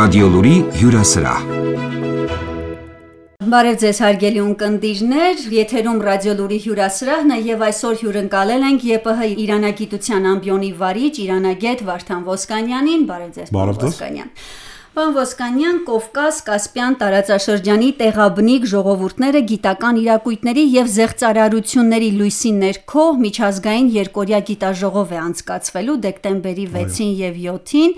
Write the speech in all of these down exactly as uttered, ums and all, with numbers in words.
Ռադիոլուրի հյուրասրահ։ Բարև ձեզ հարգելի ունկնդիրներ, եթերում Ռադիոլուրի հյուրասրահն է եւ այսօր հյուրընկալել ենք ԵՊՀ իրանագիտության ամբիոնի վարիչ, իրանագետ Վարդան Ոսկանյանին։ Բարև ձեզ, պարոն Ոսկանյան։ Պարոն Ոսկանյան, Կովկաս-Կասպյան տարածաշրջանի տեղաբնիկ ժողովուրդները գիտական իրակույթների եւ զեղծարարությունների լույսի ներքո միջազգային երկօրյա գիտաժողով է անցկացվելու դեկտեմբերի վեցին եւ յոթին,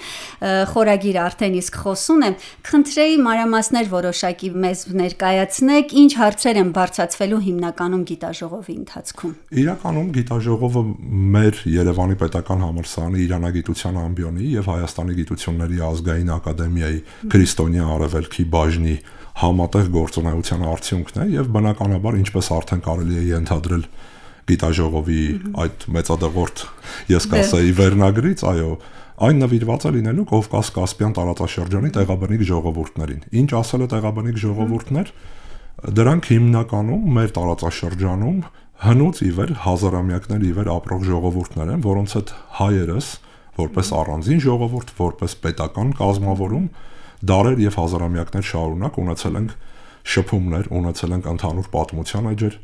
խորագիրը արդեն իսկ խոսուն է։ Խնդրեի մանրամասներ որոշակի մեզ ներկայացնեք, ինչ հարցեր են բարձրացվելու հիմնականում գիտաժողովի ընթացքում։ Իրականում գիտաժողովը մեր Երևանի պետական համալսարանի իրանագիտության ամբիոնի եւ Հայաստանի գիտությունների ազգային ակադեմիայի քրիստոնյա արևելքի բաժնի համատեղ գործունեության արդյունքն է եւ բնականաբար ինչպես արդեն կարելի է ենթադրել գիտաժողովի այդ մեծադեղորդ ես կասեի վերնագրից, այո, այն նվիրված է լինելու Կովկաս-Կասպյան տարածաշրջանի տեղաբնիկ ժողովուրդներին։ Ինչ ասել է տեղաբնիկ ժողովուրդներ, դրանք հիմնականում մեր տարածաշրջանում հնուց ի վեր հազարամյակներ ի վեր ապրող ժողովուրդներ են, որոնց հետ հայերս որպես առանձին ժողովուրդ, որպես պետական կազմավորում դարեր եւ հազարամյակներ շարունակ ունեցել ենք շփումներ, ունեցել ենք ընդհանուր պատմության էջեր,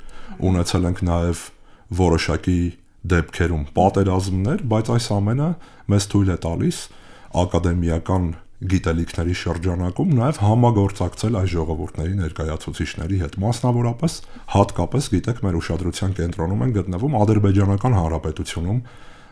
ունեցել ենք նաեւ որոշակի դեպքերում պատերազմներ, բայց այս ամենը մեզ թույլ է տալիս ակադեմիական գիտելիքների շրջանակում նաեւ համագործակցել այս ժողովուրդների ներկայացուցիչների հետ, մասնավորապես հատկապես գիտեք մեր ուշադրության կենտրոնում են գտնվում Ադրբեջանական Հանրապետությունում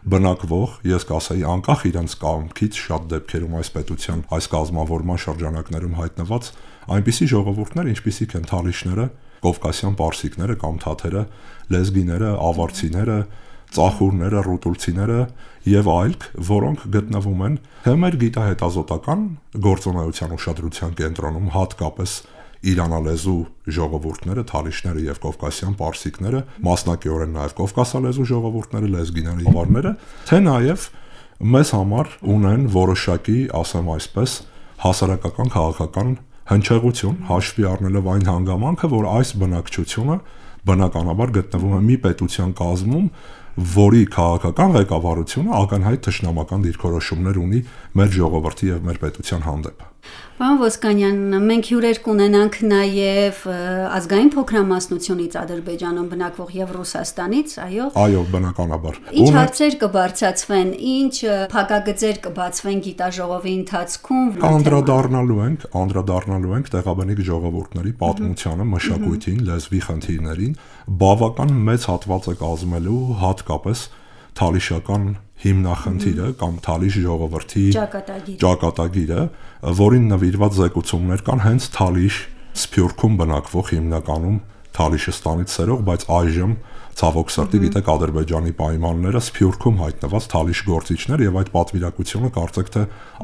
բնակվող, ես կասեի անկախ իրենց կամքից շատ դեպքերում այս պետության այս կազմավորման շրջանակներում հայտնված այնպիսի ժողովուրդներ, ինչպիսիք են թալիշները, կովկասյան պարսիկները կամ թաթերը, լեզգիները, ավարցիները, ծախուրները, ռուտուլցիները եւ այլք, որոնք գտնվում են թե մեր գիտահետազոտական գործունեության ուշադրության կենտրոնում, հատկապես իրանալեզու ժողովուրդները, թալիշները եւ կովկասյան պարսիկները, մասնակիորեն նաեւ կովկասալեզու ժողովուրդները, լեզգիները, ավարները, թե նաեւ մեզ համար ունեն որոշակի, ասեմ այսպես, հասարակական քաղաքական հնչեղություն, հաշվի առնելով այն հանգամանքը, որ այս բնակչությունը բնականաբար գտնվում է մի պետության կազմում, որի քաղաքական ղեկավարությունը ակնհայտ թշնամական դիրքորոշումներ ունի մեր ժողովրդի եւ մեր պետության հանդեպ։ Պարոն Ոսկանյան, մենք հյուրեր կունենանք նաև ազգային փոքրամասնությունից Ադրբեջանում բնակվող եւ Ռուսաստանից, այո։ Այո, բնականաբար։ Ինչ հարցեր կբարձրացվեն, ինչ փակագծեր կբացվեն գիտաժողովի ընթացքում։ Անդրադառնալու ենք, անդրադառնալու ենք տեղաբնիկ ժողովուրդների պատմությանը, մշակույթին, լեզվի խնդիրներին, բավական մեծ հատված է կազմելու հատկապես թալիշական հիմնախնդիրը կամ թալիշ ժողովրդի ճակատագիրը, որին նվիրված զեկուցումներ կան հենց Թալիշ Սփյուռքում բնակվող հիմնականում Թալիշստանից սերող, բայց այժմ ցավոք սրտի գիտեք Ադրբեջանի պայմանները Սփյուռքում հայտնված Թալիշ գործիչներ եւ այդ պատվիրակությունը կարծեք թե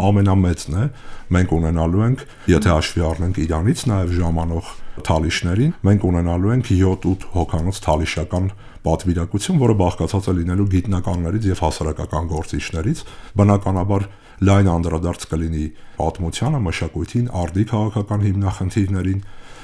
ամենամեծն է։ Մենք ունենալու ենք, եթե հաշվի առնենք Իրանից նաեւ ժամանող թալիշներին, մենք ունենալու ենք յոթ-ութ հոգանոց թալիշական պատվիրակություն, որը բաղկացած է լինելու գիտնականներից եւ հասարակական գործիչներից, բնականաբար լայն անդրադարձ կլինի պատմությանը, մշակույթին, արդի քաղաքական հիմնախնդիրներին,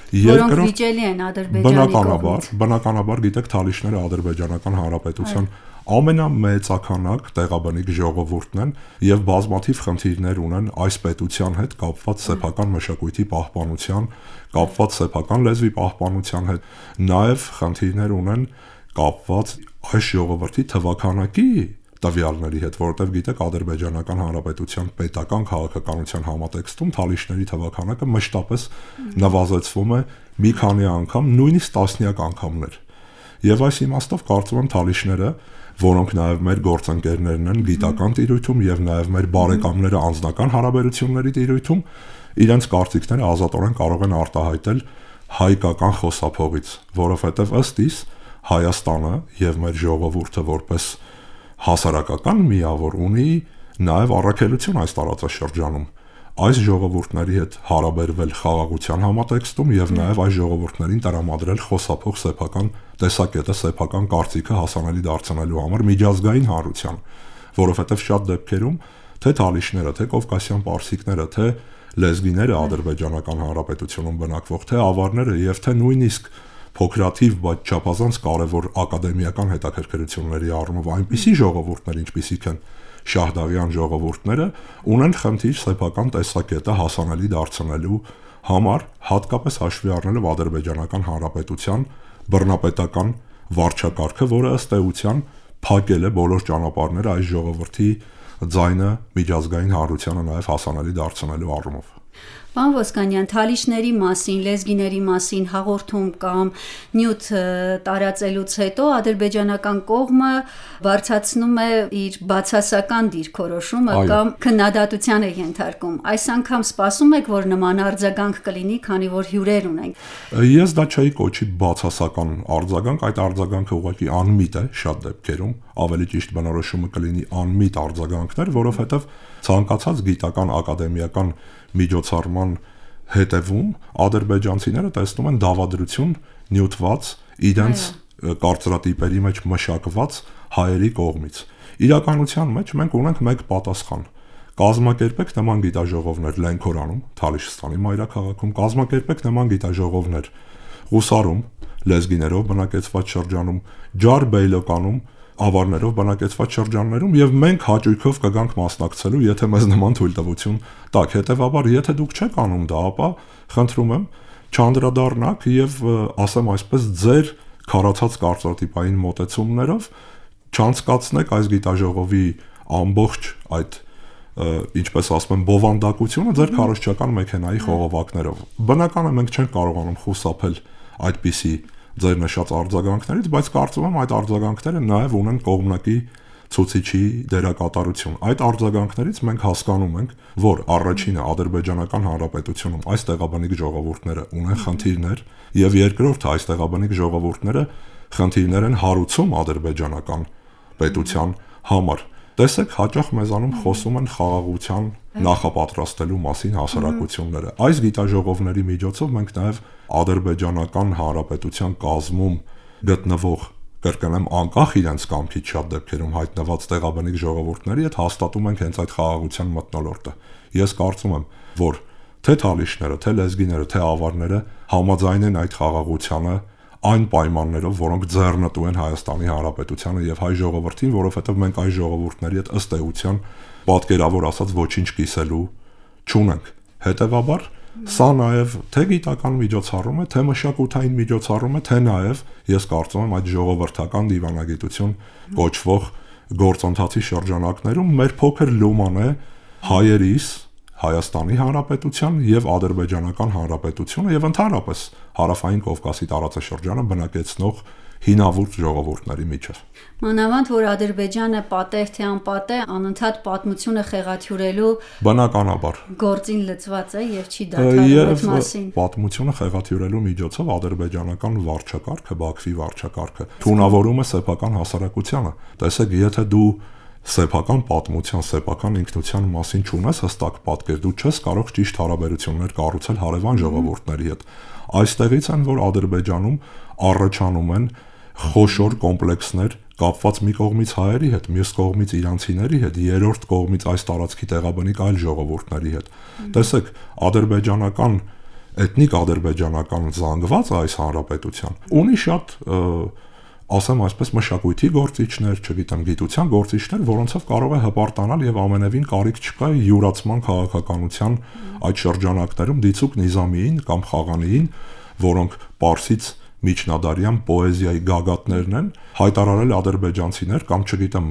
որոնք վիճելի են Ադրբեջանի կողմից։ Բնականաբար գիտեք Թալիշները Ադրբեջանական Հանրապետության ամենամեծականակ տեղաբնիկ ժողովուրդն են եւ բազմաթիվ խնդիրներ ունեն այս պետության հետ կապված սեփական մշակույթի պահպանության, կապված սեփական լեզվի պահպանության հետ, նաեւ խնդիրներ ունեն կապված այս ժողովրդի թվականակի տվյալների հետ, որովհետև գիտեք Ադրբեջանական Հանրապետության պետական քաղաքականության համատեքստում թալիշների թվականակը մշտապես նվազեցվում է մի քանի անգամ, նույնիսկ տասնյակ անգամներ։ Եվ այս իմաստով կարծում եմ թալիշները, որոնք նաև մեր գործընկերներն են գիտական տիրույթում եւ նաև մեր բարեկամները անձնական հարաբերությունների տիրույթում, իրենց կարծիքները ազատորեն կարող են արտահայտել հայկական խոսափողից, որովհետև ըստ իս Հայաստանը եւ մեր ժողովուրդը որպես հասարակական միավոր ունի նաև առաքելություն այս տարածաշրջանում այս ժողովուրդների հետ հարաբերվել խաղաղության համատեքստում եւ նաև այս ժողովուրդներին տրամադրել խոսափող սեփական տեսակետը, սեփական կարծիքը հասանելի դարձնելու համար միջազգային հանրության, որովհետեւ շատ դեպքերում թե թալիշները, թե կովկասյան պարսիկները, թե լեզգիները Ադրբեջանական Հանրապետությունում բնակվող, թե ավարները եւ թե նույնիսկ փոքրաթիվ, բայց չափազանց կարևոր ակադեմիական հետաքրքրությունների առումով այնպիսի ժողովուրդներ, ինչպիսիք են շահդաղյան ժողովուրդները ունեն խնդիր սեփական տեսակետը հասանելի դարձնելու համար, հատկապես հաշվի առնելով Ադրբեջանական Հանրապետության բռնապետական վարչակարգը, որը ըստ էության փակել է բոլոր ճանապարհները այս ժողովրդի ձայնը միջազգային հանրությանը նաև հասանելի դարձնելու առումով։ Պարոն Ոսկանյան, թալիշների մասին, լեզգիների մասին հաղորդում կամ նյութ տարածելուց հետո ադրբեջանական կողմը բարձրացնում է իր բացասական դիրքորոշումը կամ քննադատության է ենթարկում։ Այս անգամ սպասում եք, որ նման արձագանք կլինի, քանի որ հյուրեր ունենք։ Ես դա չէի կոչի բացասական արձագանք, այդ արձագանքը ուղղակի անմիտ է շատ դեպքերում, ավելի ճիշտ բնորոշումը կլինի անմիտ արձագանքներ, որովհետև ցանկացած գիտական ակադեմիական միջոցառման հետևում ադրբեջանցիները տեսնում են դավադրություն նյութված իրենց կարծրատիպերի մեջ մշակված հայերի կողմից։ Իրականության մեջ մենք ունենք մեկ պատասխան. կազմակերպեք նման գիտաժողովներ Լենքորանում, Թալիշստանի մայրաքաղաքում, կազմակերպեք նման գիտաժողովներ Ղուսարում, լեզգիներով բնակեցված շրջանում, Ջարբեյլոկանում, ավարներով բնակեցված շրջաններում եւ մենք հաճույքով կգանք մասնակցելու, եթե մեզ նման թույլտվություն տաք։ Հետեւաբար, եթե դուք չեք անում դա, ապա խնդրում եմ չանդրադառնաք եւ ասեմ այսպես ձեր քարացած կարծրատիպային մոտեցումներով չանցկացնեք այս գիտաժողովի ամբողջ այդ ինչպես ասում են բովանդակությունը ձեր քարոզչական մեքենայի խողովակներով։ Բնական է մենք չենք կարողանում խուսափել այդպիսի ձեր նշած արձագանքներից, բայց կարծում եմ այդ արձագանքները նաև ունեն կողմնակի ցուցիչի դերակատարություն։ Այդ արձագանքներից մենք հասկանում ենք, որ առաջինը Ադրբեջանական Հանրապետությունում այս տեղաբնիկ ժողովուրդները ունեն խնդիրներ, եւ երկրորդը այս տեղաբնիկ ժողովուրդները խնդիրներ են հարուցում ադրբեջանական պետության համար։ Տեսեք, հաճախ մեզանում խոսում են խաղաղության նախապատրաստելու մասին հասարակությունները։ Այս գիտաժողովների միջոցով մենք նաև Ադրբեջանական Հանրապետության կազմում գտնվող, կրկնեմ, անկախ իրենց կամքից շատ դեպքերում հայտնված տեղաբնիկ ժողովուրդների հետ հաստատում ենք հենց այդ խաղաղության մթնոլորտը։ Ես կարծում եմ, որ թե թալիշները, թե լեզգիները, թե ավարները համաձայն են այդ խաղաղությանը այն պայմաններով, որոնք ձեռնտու են Հայաստանի Հանրապետությանը եւ հայ ժողովրդին, որովհետեւ մենք այս ժողովուրդների հետ ըստ էության պատկերավոր ասած ոչինչ կիսելու չունենք։ Հետևաբար սա նաեւ թե գիտական միջոցառում է, թե մշակութային միջոցառում է, թե նաեւ ես կարծում եմ այդ ժողովրդական դիվանագիտություն կոչվող գործընթացի շրջանակներում մեր փոքր լուման է հայերիս Հայաստանի Հանրապետության եւ Ադրբեջանական Հանրապետությունը եւ ընդհանրապես Հարավային Կովկասի տարածաշրջանը բնակեցնող հինավուրց ժողովուրդների միջև։ Մանավանդ որ Ադրբեջանը պատեհ թե անպատեհ անընդհատ պատմությունը խեղաթյուրելու բնականաբար գործին լծված է եւ չի դադարում այդ մասին։ Պատմությունը խեղաթյուրելու միջոցով ադրբեջանական վարչակարգը, Բաքվի վարչակարգը թունավորում է սեփական հասարակությանը։ Տեսեք, եթե դու սեփական պատմության, սեփական ինքնության մասին չունես հստակ պատկեր, դու չես կարող ճիշտ հարաբերություններ կառուցել հարևան ժողովուրդների հետ։ Այստեղից են, որ Ադրբեջանում առաջանում են խոշոր կոմպլեքսներ կապված մի կողմից հայերի հետ, մյուս կողմից իրանցիների հետ, երրորդ կողմից այս տարածքի տեղաբնիկ այլ ժողովուրդների հետ։ Տեսեք, ադրբեջանական էթնիկ ադրբեջանական զանգված այս հանրապետության ունի շատ ասեմ այսպես մշակույթի գործիչներ, չգիտեմ, գիտության գործիչներ, որոնցով կարող է հպարտանալ եւ ամենևին կարիք չկա յուրացման քաղաքականության այդ շրջանակներում դիցուկ Նիզամիին կամ Խաղանիին, որոնք Պարսից միջնադարյան պոեզիայի գագաթներն են, հայտարարել ադրբեջանցիներ կամ չգիտեմ,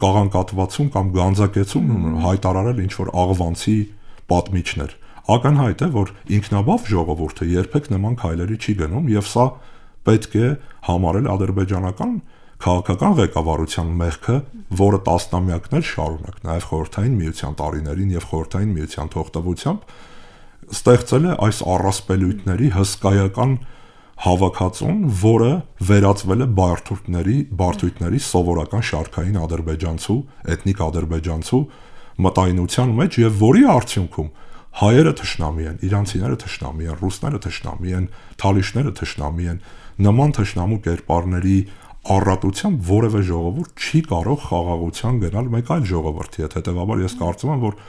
կաղանկատվացում կամ գանձակեցում հայտարարել ինչ որ աղվանցի պատմիչներ։ Ակնհայտ է, որ ինքնաբավ ժողովուրդը երբեք նման քայլերի չի գնում եւ սա պետք է համարել ադրբեջանական քաղաքական ղեկավարության մեղքը, որը տասնամյակներ շարունակ նաև խորհրդային միության տարիներին եւ խորհրդային միության թողտվությամբ ստեղծել է այս առասպելույթների հսկայական հավաքածուն, որը վերածվել է բարդույթների, բարդույթների սովորական շարքային ադրբեջանցու, էթնիկ ադրբեջանցու մտայնության մեջ եւ որի արդյունքում հայերը թշնամի են, իրանցիները թշնամի են, ռուսները թշնամի են, թալիշները թշնամի են, նման թշնամու կերպարների առատությամբ որևէ ժողովուրդ չի կարող խաղաղության գնալ մեկ այլ ժողովրդի հետ։ Հետևաբար ես կարծում եմ, որ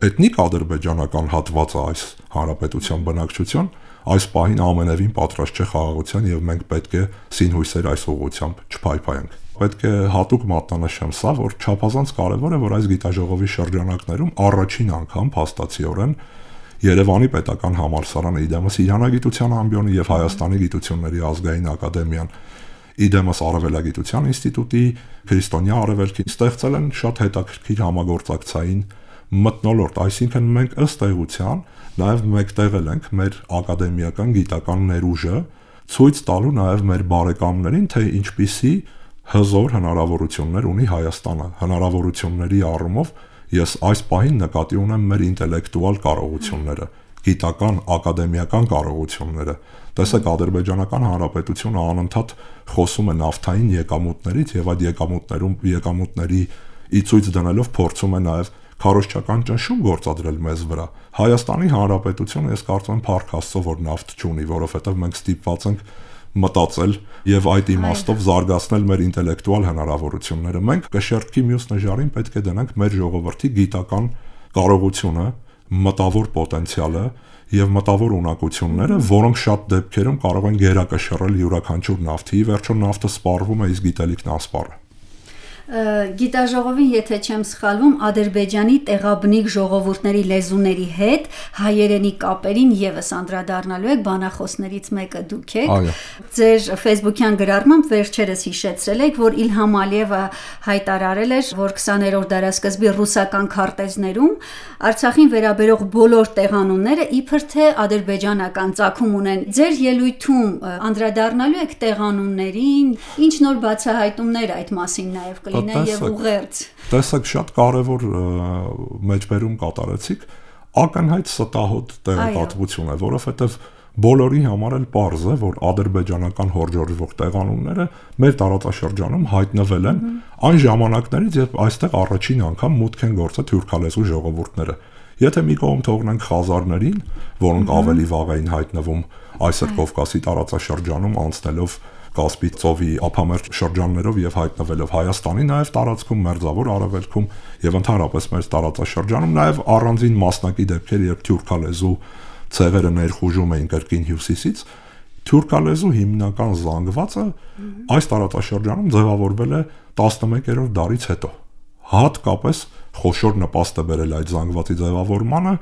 էթնիկ ադրբեջանական հատվածը այս հանրապետության բնակչության այս պահին ամենևին պատրաստ չէ խաղաղության եւ մենք պետք է սինհույսեր այս ուղղությամբ չփայփայենք։ Պետք է հատուկ մատնանշեմ սա, որ չափազանց կարևոր է, որ այս գիտաժողովի շրջանակներում առաջին անգամ փաստացիորեն Երևանի պետական համալսարանը իդեմս Իրանագիտության ամբիոնի եւ Հայաստանի գիտությունների ազգային ակադեմիան իդեմս Արևելագիտության ինստիտուտի քրիստոնյա արևելքին ստեղծել են շատ հետաքրքիր համագործակցային մթնոլորտ, այսինքն մենք ըստ էության նաեւ մեկտեղել ենք մեր ակադեմիական գիտական ներուժը ցույց տալու նաեւ մեր բարեկամներին, թե ինչպիսի հզոր հնարավորություններ ունի Հայաստանը, հնարավորությունների առումով ես այս պահին նկատի ունեմ մեր ինտելեկտուալ կարողությունները, գիտական, ակադեմիական կարողությունները։ Տեսեք, Ադրբեջանական Հանրապետությունը անընդհատ խոսում է նավթային եկամուտներից եւ այդ եկամուտներում եկամուտների ի ցույց դնելով փորձում է նաեւ քարոզչական ճնշում գործադրել մեզ վրա։ Հայաստանի Հանրապետությունը ես կարծում եմ փառք Աստծո, որ նավթ չունի, որովհետեւ մենք ստիպված ենք մտածել եւ այդ իմաստով զարգացնել մեր ինտելեկտուալ հնարավորությունները։ Մենք կշեռքի մյուս նժարին պետք է դնենք մեր ժողովրդի գիտական կարողությունը, մտավոր պոտենցիալը եւ մտավոր ունակությունները, որոնք շատ դեպքերում կարող են գերակշռել յուրաքանչյուր նավթի։ Ի վերջո նավթը սպառվում է, իսկ գիտելիքն ասպառ է։ Գիտաժողովին, եթե չեմ սխալվում, Ադրբեջանի տեղաբնիկ ժողովուրդների լեզուների հետ հայերենի կապերին եւս անդրադառնալու եք, բանախոսներից մեկը դուք եք։ Ձեր Facebook-յան գրառմամբ վերջերս հիշեցրել եք, որ Իլհամ Ալիևը հայտարարել էր, որ քսաներորդ դարաշրջանի ռուսական քարտեզներում Արցախին վերաբերող բոլոր տեղանունները իբր թե ադրբեջանական ծագում ունեն։ Ձեր ելույթում անդրադառնալու եք տեղանուններին, ինչ նոր բացահայտումներ այդ մասին նաեւ կլինեն եւ ուղերձ։ Տեսեք, շատ կարևոր մեջբերում կատարեցիք, ակնհայտ ստահոդ տեղեկատվություն է, որովհետեւ բոլորի համար էլ պարզ է, որ ադրբեջանական հորժորժվող տեղանունները մեր տարածաշրջանում հայտնվել են այն ժամանակներից, երբ այստեղ առաջին անգամ մուտք են գործել թուրքալեզու ժողովուրդները։ Եթե մի կողմ թողնենք խազարներին, որոնք ավելի վաղ էին հայտնվում այսօր Կովկասի տարածաշրջանում անցնելով Կասպի ծովի ափամերձ շրջաններով եւ հայտնվելով Հայաստանի նաեւ տարածքում, Մերձավոր Արևելքում եւ ընդհանրապես մեր տարածաշրջանում, նաեւ առանձին մասնակի դեպքեր, երբ թուրքալեզու ցեղերը ներխուժում էին կրկին հյուսիսից, թուրքալեզու հիմնական զանգվածը այս տարածաշրջանում ձևավորվել է տասնմեկերորդ դարից հետո։ Հատկապես խոշոր նպաստ է բերել այդ զանգվածի ձևավորմանը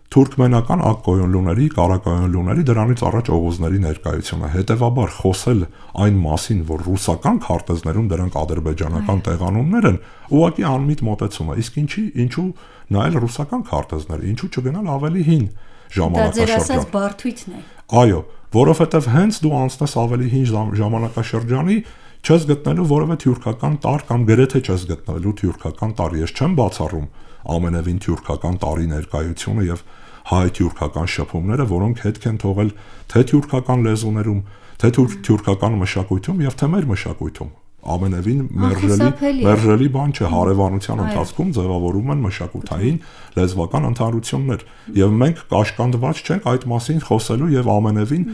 թուրքմենական ակկոյոնլուների, կարակոյոնլուների, դրանից առաջ օղուզների ներկայությունը։ Հետևաբար խոսել այն մասին, որ ռուսական քարտեզներում դրանք ադրբեջանական տեղանուններ են, ուղղակի անմիտ մոտեցում է։ Իսկ ինչի, ինչու նայել ռուսական քարտեզները, ինչու չգնալ ավելի հին ժամանակաշրջան։ Դա ձեր ասած բարդույթն է։ Այո, որովհետև հենց դու անցնես ավելի հին ժամանակաշրջանի, չես գտնելու որևէ թյուրքական տարր կամ գրեթե չես գտնելու թյուրքական տարր։ Ես չեմ բացառում ամենևին թյուրքական տարի ներկայությունը եւ հայ-թյուրքական շփումները, որոնք հետք են թողել թե թյուրքական լեզուներում, թե թյուրքական մշակույթում եւ թե մեր մշակույթում։ Ամենևին մերժելի մերժելի բան չէ, հարևանության ընթացքում ձևավորում են մշակութային լեզվական ընդհանրություններ եւ մենք կաշկանդված չենք այդ մասին խոսելու եւ ամենևին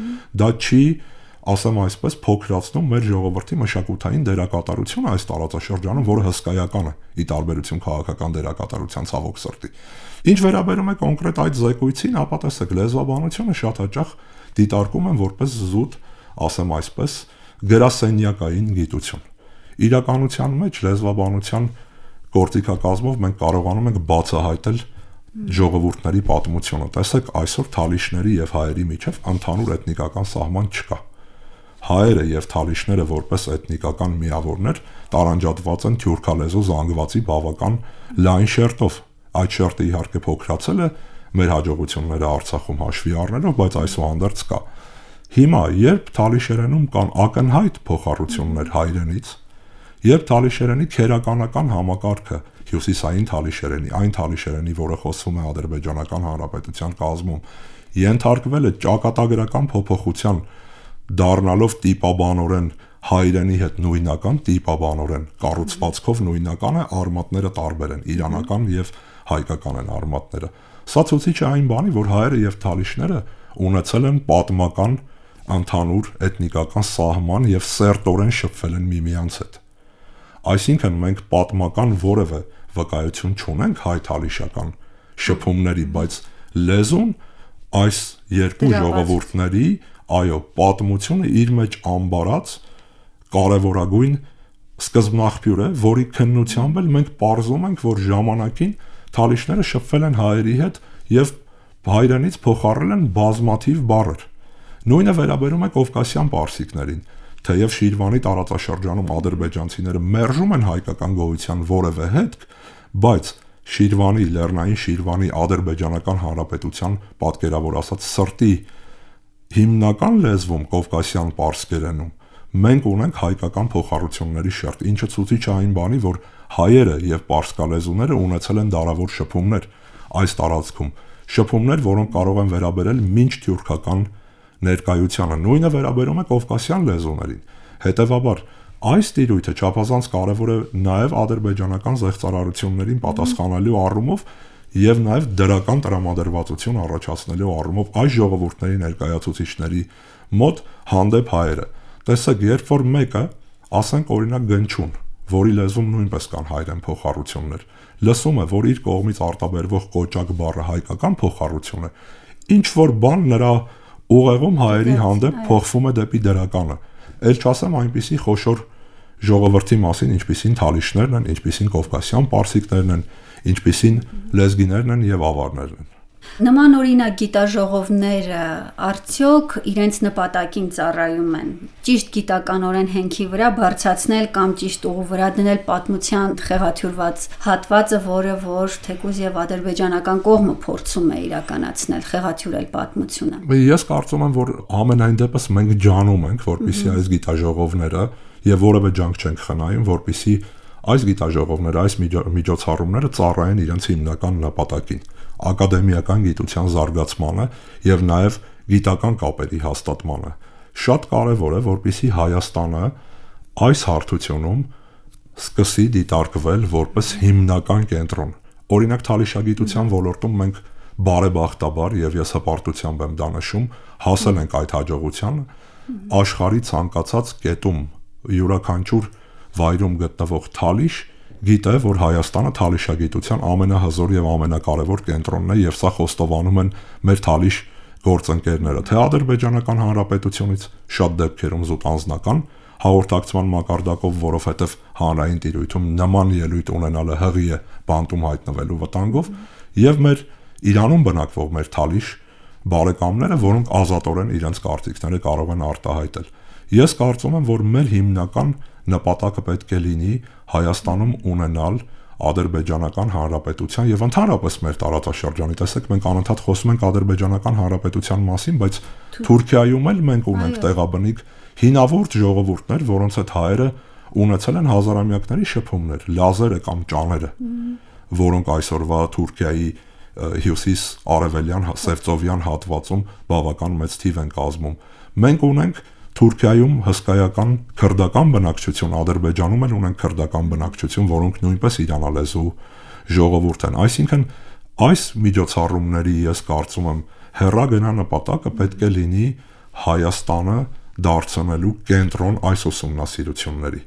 դա չի, ասեմ այսպես, փոքրացնում մեր ժողովրդի մշակութային դերակատարությունը այս տարածաշրջանում, որը հսկայական է ի տարբերություն քաղաքական դերակատարության ցավոք սրտի։ Ինչ վերաբերում է կոնկրետ այդ զեկույցին, ապա տեսեք, լեզվաբանությունը շատ հաճախ դիտարկում են որպես զուտ, ասեմ այսպես, գրասենյակային գիտություն։ Իրականության մեջ լեզվաբանության գործիքակազմով մենք կարողանում ենք բացահայտել ժողովուրդների պատմությունը։ Տեսեք, այսօր թալիշների եւ հայերի միջև ընդհանուր էթնիկական սահման չկա։ Հայերը եւ թալիշները որպես էթնիկական միավորներ տարանջատված են թյուրքալեզու զանգվածի բավական լայն շերտով։ Այդ շերտը իհարկե փոքրացել է մեր հաջողությունները Արցախում հաշվի առնելով, բայց այսուհանդերձ կա։ Հիմա, երբ թալիշերենում կան ակնհայտ փոխառություններ հայրենից, երբ թալիշերենի քերականական համակարգը հյուսիսային թալիշերենի, այն թալիշերենի, որը խոսվում է Ադրբեջանական Հանրապետության կազմում, ենթարկվել է ճակատագրական փոփոխության, դառնալով տիպաբանորեն հայրենի հետ նույնական, տիպաբանորեն կառուցվածքով նույնական է, արմատները տարբեր են, իրանական եւ հայկական են արմատները։ Սա ցույց է այն բանի, որ հայերը եւ թալիշները ունեցել են պատմական ընդհանուր էթնիկական սահման եւ սերտորեն շփվել են միմյանց հետ։ Այսինքն մենք պատմական որևէ վկայություն չունենք հայ-թալիշական շփումների, բայց լեզուն այս երկու ժողովուրդների, այո, պատմությունը իր մեջ ամբարած կարևորագույն սկզբնաղբյուր է, որի քննությամբ էլ մենք պարզում ենք, որ ժամանակին թալիշները շփվել են հայերի հետ եւ հայերենից փոխառել են բազմաթիվ բառեր։ Նույնը վերաբերում է կովկասյան պարսիկներին, թեև Շիրվանի տարածաշրջանում ադրբեջանցիները մերժում են հայկական գոյության որևէ հետք, բայց Շիրվանի, Լեռնային Շիրվանի ադրբեջանական հանրապետության պատկերավոր ասած սրտի հիմնական լեզվում կովկասյան պարսկերենում մենք ունենք հայկական փոխառությունների շերտ, ինչը ցույց է այն բանի, որ հայերը եւ պարսկալեզուները ունեցել են դարավոր շփումներ այս տարածքում, շփումներ, որոնք կարող են վերաբերել մինչ թյուրքական ներկայությանը, նույնը վերաբերում է կովկասյան լեզուներին։ Հետևաբար, այս տիրույթը չափազանց կարևոր է նաև ադրբեջանական զեղծարարություններին պատասխանելու առումով եւ նաև դրական տրամադրվածություն առաջացնելու առումով այս ժողովուրդների ներկայացուցիչների մոտ հանդեպ հայերը։ Տեսեք, երբ որ մեկը, ասենք օրինակ Գնչուն, որի լեզվում նույնպես կան հայերեն փոխառություններ, լսում է, որ իր կողմից արտաբերվող կոճակ բառը հայկական փոխառություն է, ինչ որ բան նրա ուղեղում հայերի հանդեպ փոխվում է դեպի դրականը։ Էլ չասեմ այնպիսի խոշոր ժողովրդի մասին, ինչպիսին թալիշներն են, ինչպիսին կովկասյան պարսիկներն են, ինչպիսին լեզգիներն են եւ ավարներն են։ Նման օրինակ գիտաժողովները արդյոք իրենց նպատակին ծառայում են ճիշտ գիտականորեն հենքի վրա բարձրացնել կամ ճիշտ ուղու վրա դնել պատմության խեղաթյուրված հատվածը, որը որ թեկուզ եւ ադրբեջանական կողմը փորձում է իրականացնել, խեղաթյուրել պատմությունը։ Ես կարծում եմ, որ ամենայն դեպս մենք ջանում ենք, որպեսզի այս գիտաժողովները եւ որևէ ջանք չենք խնայում, որպեսզի այս գիտաժողովները, այս միջոցառումները ծառայեն իրենց հիմնական նպատակին՝ ակադեմիական գիտության զարգացմանը եւ նաեւ գիտական կապերի հաստատմանը։ Շատ կարեւոր է, որպեսզի Հայաստանը այս հարթությունում սկսի դիտարկվել որպես հիմնական կենտրոն։ Օրինակ թալիշագիտության ոլորտում մենք բարեբախտաբար եւ ես հպարտությամբ եմ դա նշում, հասել ենք այդ հաջողության աշխարհի ցանկացած կետում յուրաքանչյուր վայրում գտնվող թալիշ գիտե, որ Հայաստանը թալիշագիտության ամենահզոր եւ ամենակարևոր կենտրոնն է եւ սա խոստովանում են մեր թալիշ գործընկերները, թե ադրբեջանական հանրապետությունից շատ դեպքերում զուտ անձնական հաղորդակցման մակարդակով, որովհետեւ հանրային տիրույթում նման ելույթ ունենալը հղի է բանտում հայտնվելու վտանգով, եւ մեր Իրանում բնակվող մեր թալիշ բարեկամները, որոնք ազատորեն իրենց կարծիքները կարող են արտահայտել։ Ես կարծում եմ, որ մեր հիմնական նպատակը պետք է լինի Հայաստանում ունենալ ադրբեջանական հանրապետության եւ ընդհանրապես մեր տարածաշրջանի, տեսեք, մենք անընդհատ խոսում ենք ադրբեջանական հանրապետության մասին, բայց Թուրքիայում էլ մենք ունենք տեղաբնիկ հինավուրց ժողովուրդներ, որոնց հետ հայերը ունեցել են հազարամյակների շփումներ, լազերը կամ ճաները, որոնք այսօրվա Թուրքիայի հյուսիս-արևելյան սևծովյան հատվածում բավական մեծ թիվ են կազմում։ Մենք ունենք Թուրքիայում հսկայական քրդական բնակչություն, Ադրբեջանում էլ ունենք քրդական բնակչություն, որոնք նույնպես իրանալեզու ժողովուրդ են։ Այսինքն այս միջոցառումների ես կարծում եմ հեռագնա նպատակը պետք է լինի Հայաստանը դարձնելու կենտրոն այս ուսումնասիրությունների։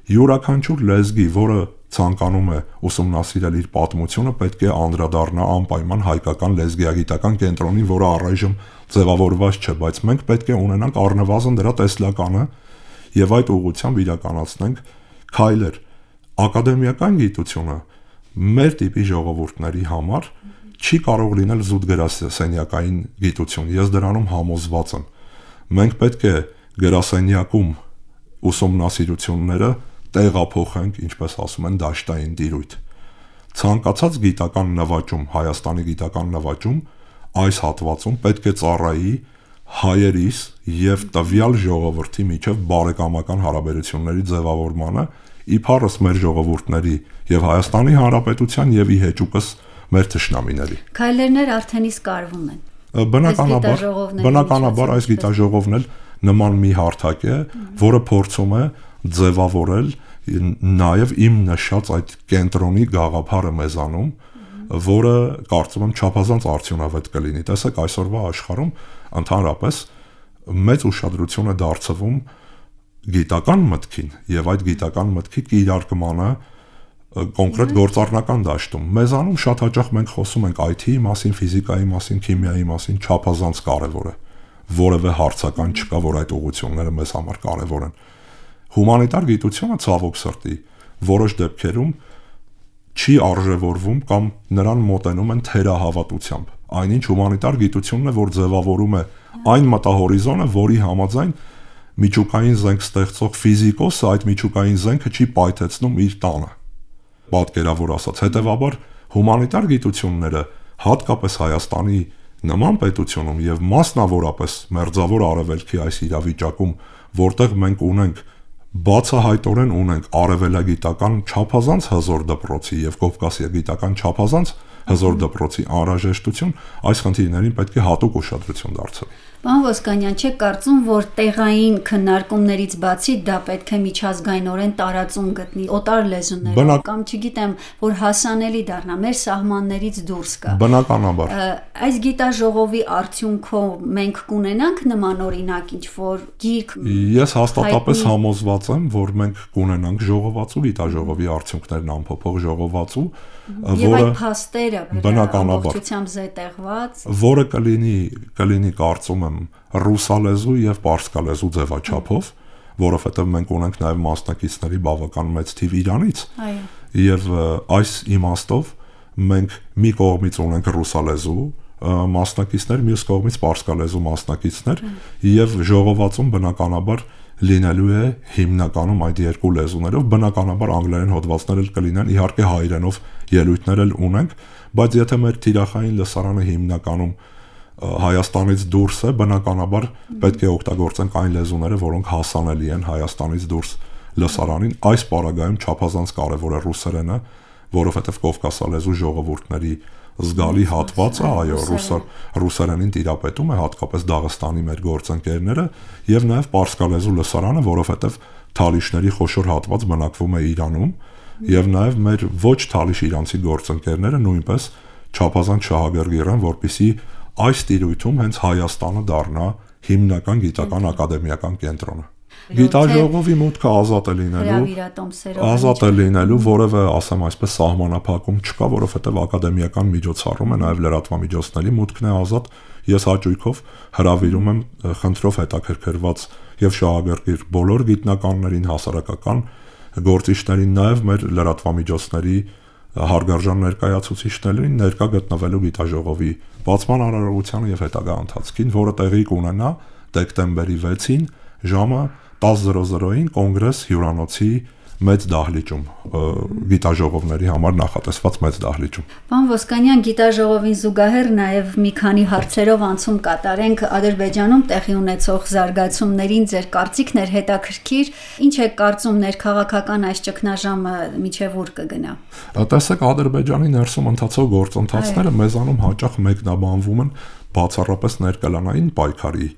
Յուրաքանչյուր լեզգի, որը ցանկանում է ուսումնասիրել իր պատմությունը, պետք է անդրադառնա անպայման հայկական լեզգիագիտական կենտրոնին, որը առայժմ ձևավորված չէ, բայց մենք պետք է ունենանք առնվազն դրա տեսլականը եւ այդ ուղղությամբ իրականացնենք քայլեր։ Ակադեմիական գիտությունը մեր տիպի ժողովուրդների համար չի կարող լինել զուտ գրասենյակային գիտություն։ Ես դրանում համոզված եմ։ Մենք պետք է գրասենյակում ուսումնասիրությունները տեղափոխենք, ինչպես ասում են, դաշտային տիրույթ։ Ցանկացած գիտական նվաճում, Հայաստանի գիտական նվաճում այս հատվածում պետք է ծառայի հայերիս եւ տվյալ ժողովրդի միջև բարեկամական հարաբերությունների ձևավորմանը, իբարս մեր ժողովուրդների եւ Հայաստանի Հանրապետության եւ ի հեճուկս մեր թշնամիների։ Քայլերներ արդեն իսկ արվում են։ Բնականաբար, բնականաբար այս գիտաժողովն էլ նման մի հարթակ է, որը փորձում է ձևավորել նաև իմ նշած այդ կենտրոնի գաղափարը մեզանում, որը կարծում եմ չափազանց արդյունավետ կլինի։ Տեսեք, այսօրվա աշխարհում ընդհանրապես մեծ ուշադրություն է դարձվում գիտական մտքին եւ այդ գիտական մտքի կիրարկմանը կոնկրետ գործառնական դաշտում։ Մեզանում շատ հաճախ մենք խոսում ենք I T-ի մասին, ֆիզիկայի մասին, քիմիայի մասին, չափազանց կարևոր է։ Որևէ հարցական չկա, որ այդ ուղղությունները մեզ համար կարևոր են։ Հումանիտար գիտությունը ցավոք սրտի որոշ դեպքերում չի արժևորվում կամ նրան մոտենում են թերահավատությամբ։ Այնինչ հումանիտար գիտությունն է, որ ձևավորում է այն մտահորիզոնը, որի համաձայն միջուկային զենք ստեղծող ֆիզիկոսը այդ միջուկային զենքը չի պայթեցնում իր տանը։ Պատկերավոր ասած, հետևաբար հումանիտար գիտությունները հատկապես Հայաստանի նման պետությունում եւ մասնավորապես Մերձավոր Արևելքի այս իրավիճակում, որտեղ մենք ունենք բացահայտորեն ունենք արևելագիտական չափազանց հզոր դպրոցի եւ կովկասիագիտական չափազանց հզոր դպրոցի անհրաժեշտություն, այս խնդիրներին պետք է հատուկ ուշադրություն դարձնել։ Պարոն Ոսկանյան, չեք կարծում, որ տեղային քննարկումներից բացի դա պետք է միջազգայինորեն տարածում գտնի օտար լեզուներով Բնակ... կամ չգիտեմ, որ հասանելի դառնա, մեր սահմաններից դուրս գա։ Բնականաբար։ Այս գիտաժողովի արդյունքով մենք կունենանք նման օրինակ ինչ-որ գիրք։ Ես հաստատապես համոզված եմ, որ մենք կունենանք ժողովածու գիտաժողովի արդյունքներն ամփոփող ժողովածու, Եվ այդ փաստերը ամբողջությամբ զետեղված, որը կլինի կլինի կարծում եմ ռուսալեզու եւ պարսկալեզու ձևաչափով, որովհետեւ մենք ունենք նաեւ մասնակիցների բավական մեծ թիվ Իրանից։ Այո։ Եվ այս իմաստով մենք մի կողմից ունենք ռուսալեզու մասնակիցներ, մյուս կողմից պարսկալեզու մասնակիցներ, եւ ժողովածուն բնականաբար լինելու է հիմնականում այդ երկու լեզուներով, բնականաբար անգլերեն հոդվածներ էլ կլինեն, իհարկե հայերենով ելույթներ էլ ունենք, բայց եթե մեր թիրախային լսարանը հիմնականում Հայաստանից դուրս է, բնականաբար պետք է օգտագործենք այն լեզուները, որոնք հասանելի են Հայաստանից դուրս լսարանին։ Այս պարագայում չափազանց կարևոր է ռուսերենը, որովհետև կովկասալեզու ժողովուրդների զգալի հատվածը, այո, ռուսերենին տիրապետում է հատկապես Դաղստանի մեր գործընկերները եւ նաեւ պարսկալեզու լսարանը, որովհետեւ թալիշների խոշոր հատված բնակվում է Իրանում եւ նաեւ մեր ոչ թալիշ իրանցի գործընկերները նույնպես չափազանց շահագրգիռ են, որպեսզի այս տիրույթում հենց Հայաստանը դառնա հիմնական գիտական ակադեմիական կենտրոնը։ Գիտաժողովի մուտքը ազատ է լինելու, ազատ է լինելու, որևէ, ասեմ այսպես, սահմանափակում չկա, որովհետև ակադեմիական միջոցառում է, նաև լրատվամիջոցների մուտքն է ազատ։ Ես հաճույքով հրավիրում եմ խնդրով հետաքրքրված եւ շահագրգիռ բոլոր գիտնականներին, հասարակական գործիչներին, նաև մեր լրատվամիջոցների հարգարժան ներկայացուցիչներին ներկա գտնվելու գիտաժողովի բացման արարողությանը եւ հետագա ընթացքին, որը տեղի կունենա դեկտեմբերի վեցին ժամը տասը զրո զրոին կոնգրես հյուրանոցի մեծ դահլիճում, գիտաժողովների համար նախատեսված մեծ դահլիճում։ Պարոն Ոսկանյան, գիտաժողովին զուգահեռ նաև մի քանի հարցերով անցում կատարենք Ադրբեջանում տեղի ունեցող զարգացումներին, ձեր կարծիքն էր հետաքրքիր, ինչ է կարծում ներքաղաքական այս ճգնաժամը միջև ուր կգնա։ Տեսեք, Ադրբեջանի ներսում ընթացող գործընթացները մեզանում հաճախ մեկնաբանվում են բացառապես ներկալանային պայքարի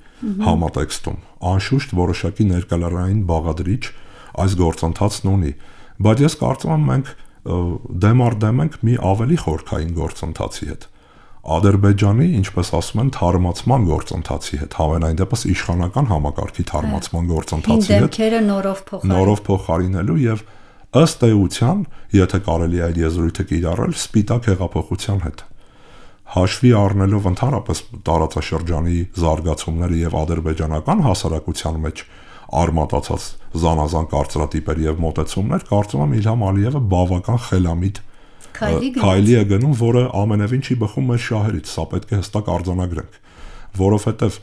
համատեքստում։ Անշուշտ որոշակի ներկալանային բաղադրիչ այս գործընթացն ունի, բայց ես կարծում եմ մենք դեմ առ դեմ ենք մի ավելի խորքային գործընթացի հետ։ Ադրբեջանի, ինչպես ասում են, թարմացման գործընթացի հետ, հավանային դեպս իշխանական համակարգի թարմացման գործընթացի հետ, նորով փոխարինելու, նորով փոխարինելու եւ ըստ էության, եթե կարելի է այդ եզրույթը կիրառել, սպիտակ հեղափոխության հետ։ Հաշվի առնելով ընդհանրապես տարածաշրջանի զարգացումները եւ ադրբեջանական հասարակության մեջ արմատացած զանազան կարծրատիպեր եւ մոտեցումներ, կարծում եմ Իլհամ Ալիևը բավական խելամիտ քայլի է գնում, որը ամենևին չի բխում մեր շահերից, սա պետք է հստակ արձանագրենք, որովհետեւ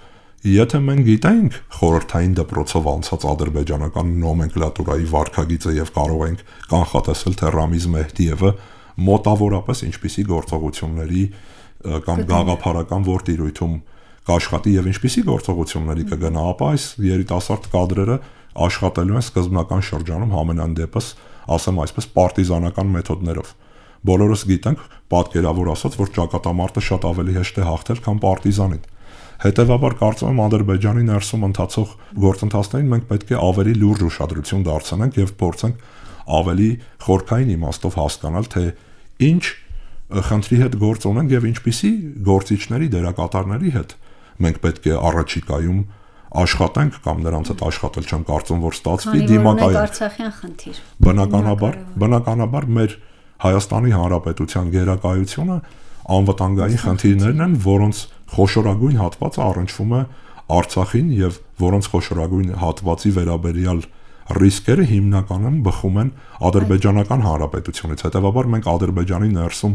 եթե մենք գիտենք խորհրդային դպրոցով անցած ադրբեջանական նոմենկլատուրայի վարքագիծը եւ կարող ենք կանխատեսել թե Ռամիզ Մեհդիևը մոտավորապես ինչպիսի գործողությունների կամ գաղափարական որ տիրույթում կաշխատի եւ ինչպիսի գործողությունների կգնա, ապա այս երիտասարդ կադրերը աշխատելու են սկզբնական շրջանում համենայն դեպս, ասեմ այսպես, պարտիզանական մեթոդներով։ Բոլորս գիտենք, պատկերավոր ասած, որ ճակատամարտը շատ ավելի հեշտ է հաղթել, քան պարտիզանին։ Հետևաբար կարծում եմ Ադրբեջանի ներսում ընթացող գործընթացներին մենք պետք է ավելի լուրջ ուշադրություն դարձնենք եւ փորձենք ավելի խորքային իմաստով հասկանալ, թե ինչ խնդրի հետ գործ ունենք եւ ինչպիսի գործիչների, դերակատարների հետ մենք պետք է առաջիկայում աշխատենք կամ նրանց հետ աշխատել չեմ կարծում որ ստացվի դիմակայել Արցախյան խնդիր բնականաբար բնականաբար մեր Հայաստանի Հանրապետության գերակայությունը անվտանգային խնդիրներն են որոնց խոշորագույն հատվածը առնչվում է Արցախին եւ որոնց խոշորագույն հատվածի վերաբերյալ ռիսկերը հիմնականում բխում են Ադրբեջանական Հանրապետությունից հետեւաբար մենք Ադրբեջանի ներսում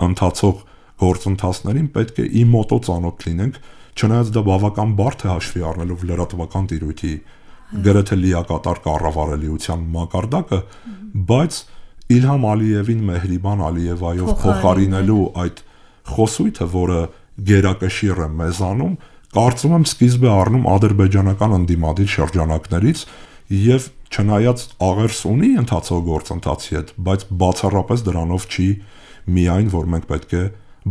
ընթացող գործընթացներին պետք է ի մոտո ծանոթ լինենք չնայած դա բավական բարդ է հաշվի առնելով լրատվական տիրույթի գրեթե լիակատար կառավարելիության մակարդակը բայց Իլհամ Ալիևին Մեհրիբան Ալիևայով փոխարինելու այդ խոսույթը որը գերակշիռ է մեզանում կարծում եմ սկիզբ է առնում ադրբեջանական ընդդիմադիր շրջանակներից եւ չնայած աղերս ունի ընթացող գործընթացի հետ բայց բացառապես դրանով չի միայն որ մենք պետք է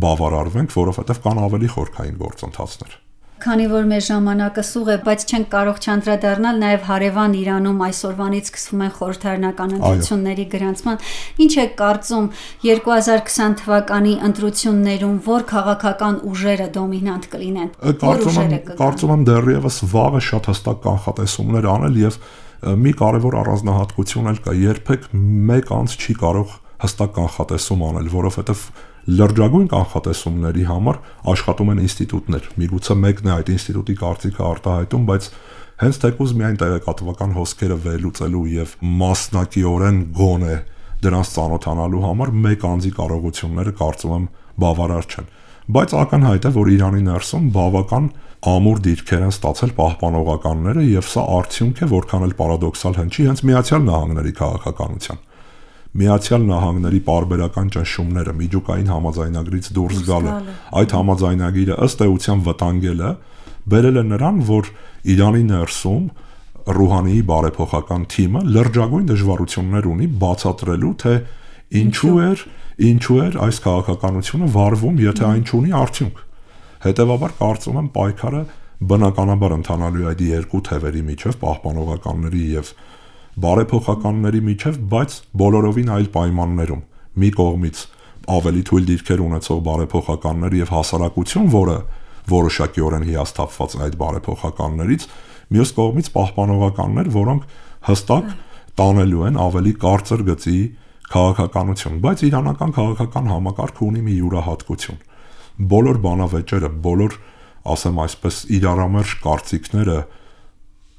բավարարվենք որովհետեւ կան ավելի խորքային գործընթացներ Քանի որ մեր ժամանակը սուղ է, բայց չենք կարող չանդրադառնալ նաև հարևան Իրանում այսօրվանից սկսվում են խորհրդարանական ընտրությունների գրանցման, ինչ է կարծում երկու հազար կիսը թվականի ընտրություններում որ քաղաքական ուժերը դոմինանտ կլինեն։ Կարծում եմ, կարծում եմ դեռևս վաղը շատ հստակ կանխատեսումներ անել եւ մի կարևոր առանձնահատկություն էլ կա, երբեք մեկ անձ չի կարող հստակ կանխատեսում անել, որովհետեւ լրջագույն կանխատեսումների համար աշխատում են ինստիտուտներ։ Միգուցե մեկն է այդ ինստիտուտի կարծիքը արտահայտում, բայց հենց թեկուզ միայն տեղեկատվական հոսքերը վերլուծելու եւ մասնակիորեն գոնե դրանց ծանոթանալու համար մեկ անձի կարողությունները կարծում եմ բավարար չեն։ Բայց ակնհայտ է, որ Իրանի ներսում բավական ամուր դիրքեր են ստացել պահպանողականները եւ սա արդյունք է, որքան էլ պարադոքսալ հնչի, հենց Միացյալ Նահանգների քաղաքականության։ Միացյալ Նահանգների պարբերական ճնշումները միջուկային համաձայնագրից դուրս գալը այդ համաձայնագիրը ըստ էության վտանգելը բերել է նրան որ Իրանի ներսում Ռուհանիի բարեփոխական թիմը լրջագույն դժվարություններ ունի բացատրելու թե ինչու էր ինչու էր այս քաղաքականությունը վարվում եթե այն չունի արդյունք հետեւաբար կարծում եմ պայքարը բնականաբար ընթանալու է այդ երկու թևերի միջև պահպանողականների եւ բարեփոխականների միջև, բայց բոլորովին այլ պայմաններում։ Մի կողմից ավելի թույլ դիրքեր ունեցող բարեփոխականներ եւ հասարակություն, որը որոշակիորեն հիասթափված այդ բարեփոխականներից, մյուս կողմից պահպանողականներ, որոնք հստակ տանելու են ավելի կարծր գծի քաղաքականություն, բայց իրանական քաղաքական համակարգը ունի մի յուրահատկություն։ Բոլոր բանավեճերը, բոլոր, ասեմ այսպես, իրարամերժ կարծիքները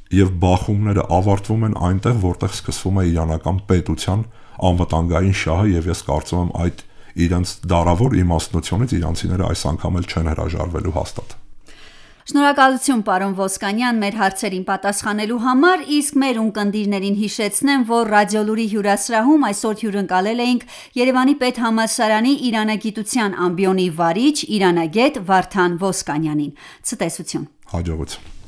եւ բախումները ավարտվում են այնտեղ, որտեղ սկսվում է իրանական պետության անվտանգային շահը եւ ես կարծում եմ այդ իրենց դարավոր իմաստնությունից իրանցիները այս անգամ էլ չեն հրաժարվելու հաստատ։ Շնորհակալություն պարոն Ոսկանյան մեր հարցերին պատասխանելու համար, իսկ մեր ունկնդիրներին հիշեցնեմ, որ Ռադիոլուրի հյուրասրահում այսօր հյուրընկալել էինք Երևանի պետհամալսարանի իրանագիտության ամբիոնի վարիչ, իրանագետ Վարդան Ոսկանյանին։ Ցտեսություն։ Հաջողություն։